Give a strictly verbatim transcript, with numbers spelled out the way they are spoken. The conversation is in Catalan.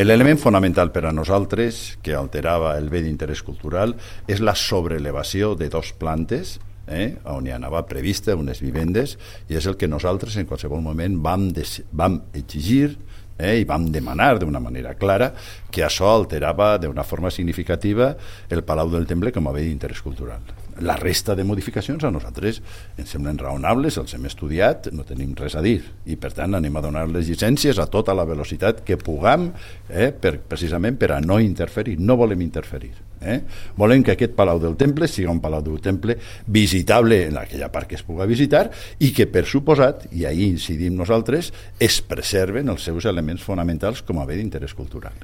L'element fonamental per a nosaltres que alterava el bé d'interès cultural és la sobrelevació de dos plantes eh, on hi anava prevista unes vivendes, i és el que nosaltres en qualsevol moment vam, des, vam exigir eh, i vam demanar d'una manera clara que això alterava d'una forma significativa el Palau del Temple com a bé d'interès cultural. La resta de modificacions a nosaltres ens semblen raonables, els hem estudiat, no tenim res a dir, i per tant anem a donar les llicències a tota la velocitat que puguem, eh, per, precisament per a no interferir. No volem interferir. Eh? Volem que aquest Palau del Temple sigui un Palau del Temple visitable en aquella part que es puga visitar, i que, per suposat, i ahir incidim nosaltres, es preserven els seus elements fonamentals com a bé d'interès cultural.